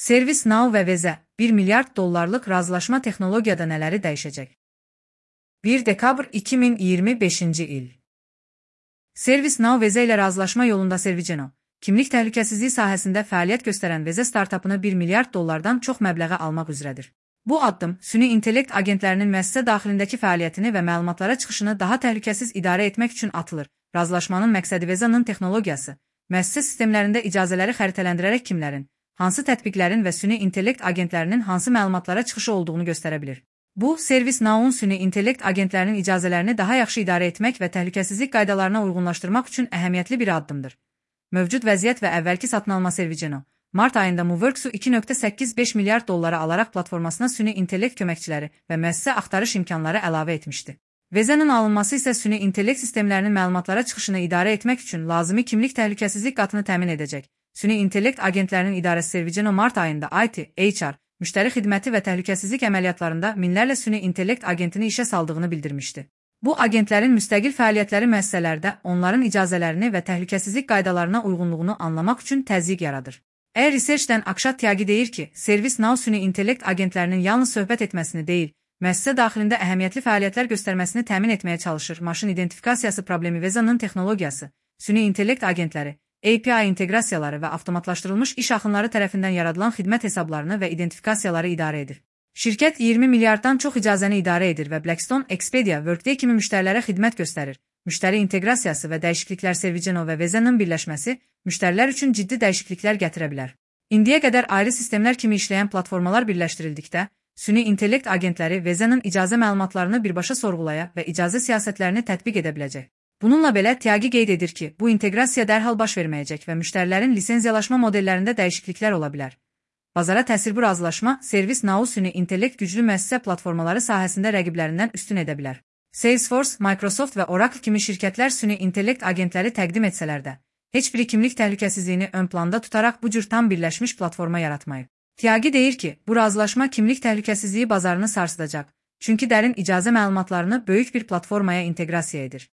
ServiceNow və Veze $1 milyard razılaşma texnologiyada nələri dəyişəcək? 1 dekabr 2025-ci il. ServiceNow Veze ilə razılaşma yolunda Serviceno, kimlik təhlükəsizliyi sahəsində fəaliyyət göstərən Veze startapını $1 milyard çox məbləğə almaq üzrədir. Bu addım, süni intellekt agentlərinin müəssisə daxilindəki fəaliyyətini və məlumatlara çıxışını daha təhlükəsiz idarə etmək üçün atılır. Razılaşmanın məqsədi Veze'nin texnologiyası, müəssisə sistemlərində icazələri xəritələndirərək kimlərin, hansı tətbiqlərin və süni intellekt agentlərinin hansı məlumatlara çıxışı olduğunu göstərə bilir. Bu, ServiceNow-un süni intellekt agentlərinin icazələrini daha yaxşı idarə etmək və təhlükəsizlik qaydalarına uyğunlaşdırmaq üçün əhəmiyyətli bir addımdır. Mövcud vəziyyət və əvvəlki satın alma Serviceno, mart ayında Moveworks-u $2.85 milyard alaraq platformasına süni intellekt köməkçiləri və müəssisə axtarış imkanları əlavə etmişdi. Veze'nin alınması isə süni intellekt sistemlərinin məlumatlara çıxışını idarə etmək üçün lazımi kimlik təhlükəsizlik qatını təmin edəcək. Süni intellekt agentlərinin idarəsi Serviceno mart ayında IT, HR, müştəri xidməti və təhlükəsizlik əməliyyatlarında minlərlə süni intellekt agentini işə saldığını bildirmişdi. Bu agentlərin müstəqil fəaliyyətləri müəssisələrdə onların icazələrini və təhlükəsizlik qaydalarına uyğunluğunu anlamaq üçün təzyiq yaradır. Research'dən Akshat Tyagi deyir ki, ServiceNow süni intellekt agentlərinin yalnız söhbət etməsini deyil, müəssisə daxilində əhəmiyyətli fəaliyyətlər göstərməsini təmin etməyə çalışır. Maşın identifikasiyası problemi Veze'nin texnologiyası, süni intellekt agentləri, API inteqrasiyaları və avtomatlaşdırılmış iş axınları tərəfindən yaradılan xidmət hesablarını və identifikasiyaları idarə edir. Şirkət 20 milyarddan çox icazəni idarə edir və Blackstone, Expedia, Workday kimi müştərilərə xidmət göstərir. Müştəri inteqrasiyası və dəyişikliklər Serviceno və Veze'nin birləşməsi müştərilər üçün ciddi dəyişikliklər gətirə bilər. İndiyə qədər ayrı sistemlər kimi işləyən platformalar birləşdirildikdə, süni intellekt agentləri Veze'nin icazə məlumatlarını birbaşa sorğulaya və icazə siyasətlərini tətbiq edə biləcək. Bununla belə Tyagi qeyd edir ki, bu inteqrasiya dərhal baş verməyəcək və müştərilərin lisenziyalaşma modellərində dəyişikliklər ola bilər. Bazara təsir bu razılaşma ServiceNow süni intellekt güclü müəssisə platformaları sahəsində rəqiblərindən üstün edə bilər. Salesforce, Microsoft və Oracle kimi şirkətlər süni intellekt agentləri təqdim etsələr də, heç biri kimlik təhlükəsizliyini ön planda tutaraq bu cür tam birləşmiş platforma yaratmayıb. Tyagi deyir ki, bu razılaşma kimlik təhlükəsizliyi bazarını sarsıdacaq, çünki dərin icazə məlumatlarını böyük bir platformaya inteqrasiya edir.